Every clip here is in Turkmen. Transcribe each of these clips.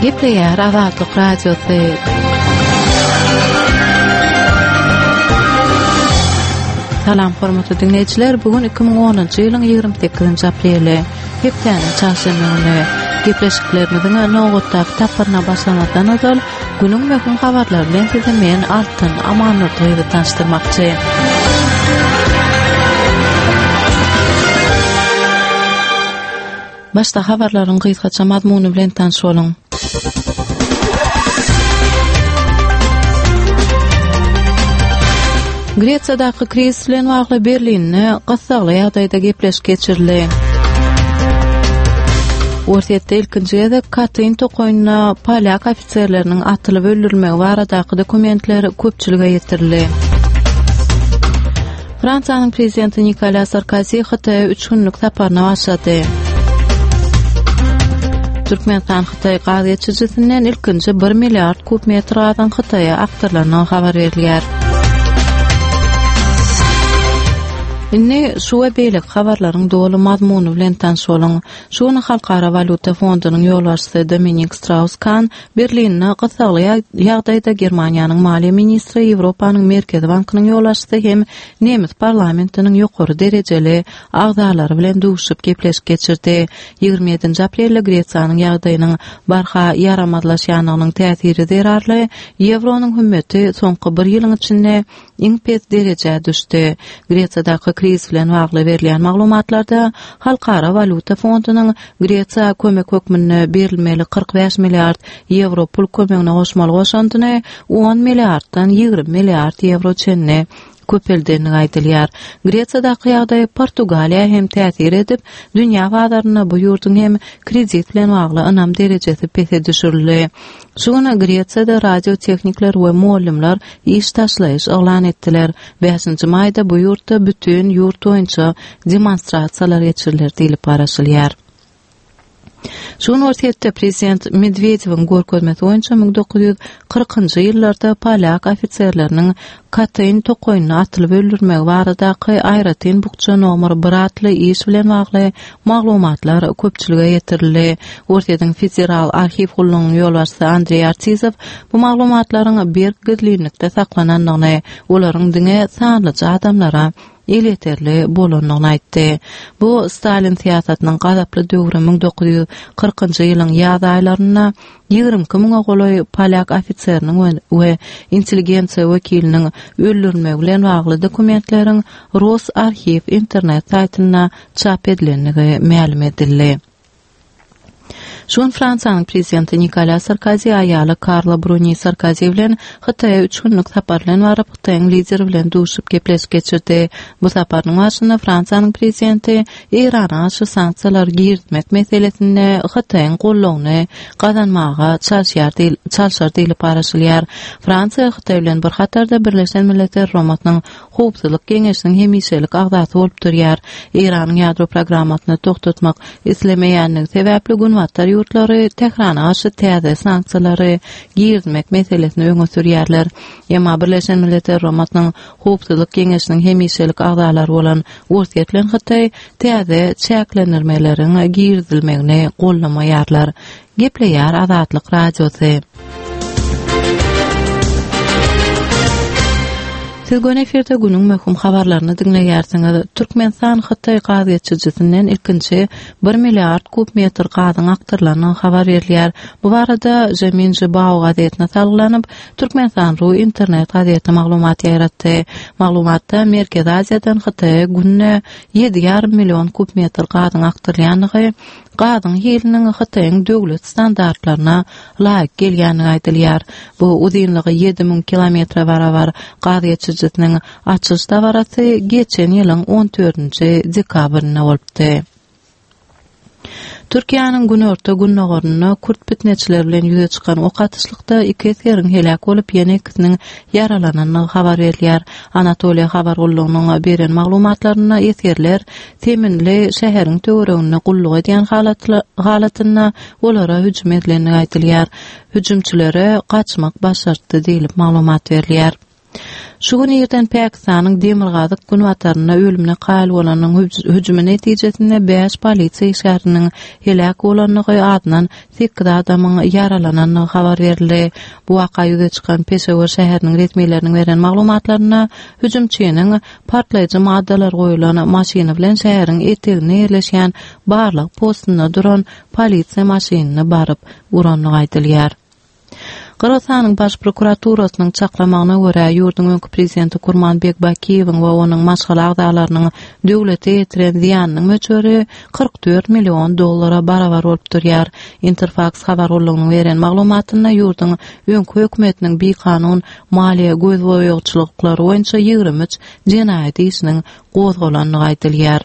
Gepleýär Azatlyk Radiosy. Salam hormatly diňleýjiler, bu gün 2010-njy ýylyň 28-nji apreli, hepdäniň çarşenbe güni. Gepleşiklerimiziň nobatdaky tapgyryna başlamazdan ozal, günüň möhüm habarlary bilen sizi men Altyn Amannurdyýewa tanyşdyrmakçy. Başda habarlaryň gysgaça mazmuny bilen tanyş boluň. Gresiýadaky krizis bilen bagly Berlinde gyssagly ýagdaýda gepleşik geçirildi. Orsýetde ilkinji gezek Katyn tokaýynda polýak ofiserleriniň atylyp öldürilmegi baradaky dokumentler köpçülige ýetirildi. Fransiýanyň prezidenti Nikolýa Sarkozi Hytaýa üç günlük saparyna başlady. Türkmenistan-Hytaý gaz geçirijisinden ilkinji 1 milliard kub metr gazyň Hytaýa akdyrylandygy habar berilýär. Indi şu we beýleki habarlaryň doly mazmuny bilen tanyş boluň. Şu gün Halkara walýuta fondunyň ýolbaşçysy Dominik Straus-Kan Berlinde gyssagly ýagdaýda Germaniýanyň maliýe ministri, Ýewropanyň Merkezi bankynyň ýolbaşçysy hem nemes parlamentiniň ýokary derejeli agzalary bilen duşup gepleşik geçirdi. 27-nji aprelde Gresiýanyň ýagdaýynyň barha ýaramazlaşýanlygynyň täsiri zerarly ýewronyň hümmeti soňky bir ýylyň içinde iň pes derejä düşdi. Gresiýadaky krizis bilen bagly berilýän maglumatlarda Halkara walýuta fondunyň Gresiýa kömek hökmünde berilmeli 45 milliard ýewro pul kömegine goşmaly goşandyny on milliarddan 20 milliard ýewro çenli köpeldendigi aýdylýar. Gresiýadaky ýagdaý Portugaliýa hem täsir edip, dünýä bazarynda bu ýurduň hem kredit bilen bagly ynam derejesi pese düşürildi. Şu gün Gresiýada radiotehnikler we mugallymlar iş taşlaýyş yglan etdiler. Bäşinji maýda bu ýurtda bütin ýurt boýunça demonstrasiýalar geçiriler diýlip garaşylýar. Şu gün Orsýetde prezident Medwedewiň görkezmesi boýunça 1940-njy ýyllarda polýak ofiserleriniň Katyn tokaýynda atylyp öldürilmegi baradaky aýratyn bukja nomer bir atly iş bilen bagly maglumatlar köpçülige ýetirildi. Orsýetiň Federal arhiw gullugynyň ýolbaşçysy Andreý Artizow bu maglumatlaryň berk gizlinlikde saklanandygyny, olaryň diňe sanlyja adamlara elýeterli bolandygyny aýtdy. Bu Stalin syýasatynyň gazaply döwri 1940-njy ýylyň ýaz aýlarynda 22 müňe golaý polýak ofiseriniň we intelligensiýa wekiliniň öldürilmegi bilen bagly dokumentleriň Rosarhiw internet saýtynda çap edilendigi mälim edildi. Şu gün Fransiýanyň prezidenti Nikolýa Sarkozi aýaly Karla Bruni Sarkozi bilen Hytaýa üç günlük sapar bilen baryp, Hytaýyň lideri bilen duşup gepleşik geçirdi. Bu saparynyň barşynda Fransiýanyň prezidenti Eýrana garşy sanksiýalary girizmek meselesinde Hytaýyň goldawyny gazanmaga çalyşýar diýil çalşar diýlip garaşylýar. Fransiýa Hytaý bilen bir hatarda Birleşen Milletler Guramasynyň Howpsuzlyk Geňeşiniň hemişelik agzasy bolup durýar. Eýranyň ýadro programmasyny togtatmak islemeýänligi sebäpli Günbatar ýurtlary Tährana garşy täze sanksiýalary girizmek meselesini öňe sürýärler. Emma Birleşen Milletler Guramasynyň Howpsuzlyk Geňeşiniň hemişelik agzalary bolan Orsýet bilen Hytaý täze çäklendirmeleriň girizilmegini goldamaýarlar. Gepleýär Azatlyk Radiosy. Siz göni efirde günüň möhüm habarlaryny diňleýärsiňiz. Türkmenistan Hytaý gaz geçirijisinden ilkinji 1 milliard kub metr gazyň akdyrylandygy habar berilýär. Bu barada Žemin Žibao gazetine salgylanyp, Türkmenistan ru internet gazeti maglumat ýaýratdy. Maglumatda Merkezi Aziýadan Hytaýa günde 7,5 million kub metr gazyň akdyrylýandygy, gazyň hiliniň Hytaýyň döwlet standartlaryna laýyk gelýändigi aýdylýar. Bu uzynlygy 7000 kilometre barabar gaz geçirijisiniň açylyş dabarasy geçen ýylyň on dördünji dekabrynda bolupdy. Türkiýäniň günorta-gündogarynda kürt pitneçileri bilen ýüze çykan ok atyşlykda iki esgeriň heläk bolup, ýene ikisiniň ýaralanandygy habar berilýär. Anatoliýa habar gullugynyň beren maglumatlarynda esgerler Seminli şäheriň töwereginde gulluk edýän halatynda olara hüjüm edilendigi aýdylýar. Hüjümçilere gaçmak başartdy diýlip maglumat berilýär. Şu gün irden Pakistanyň demirgazyk-günbatarynda ölümine kaýyl bolanyň hüjümi netijesinde bäş polisiýa işgäriniň heläk bolandygy, azyndan sekiz adamyň ýaralanandygy habar berildi. Bu waka ýüze çykan Peşewar şäheriniň resmileriniň beren maglumatlarynda, hüjümçiniň partlaýjy maddalar goýlan maşyny bilen şäheriň eteginde ýerleşýän barlag postunda duran polisiýa maşynyny baryp urandygy aýdylýar. Gyrgyzystanyň Baş prokuraturasynyň çaklamagyna görä, ýurduň öňki prezidenti Kurmanbek Bakiýewiň we onuň maşgala agzalarynyň döwlete ýetiren zyýanynyň möçberi 44 million dollara barabar bolup durýar. Interfaks habar gullugynyň beren maglumatynda ýurduň öňki hökümetiniň bikanun maliýe gözboýagçylyklary boýunça 23 jenaýat işiniň gozgalandygy aýdylýar.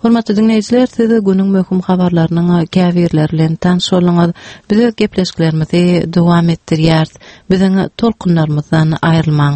Hormatly diňleýjiler, siz günüň möhüm habarlarynyň käbirleri bilen tanyş bolduňyz. Biz öz gepleşiklerimizi dowam etdirýäris. Biziň tolkunlarymyzdan aýrylmaň.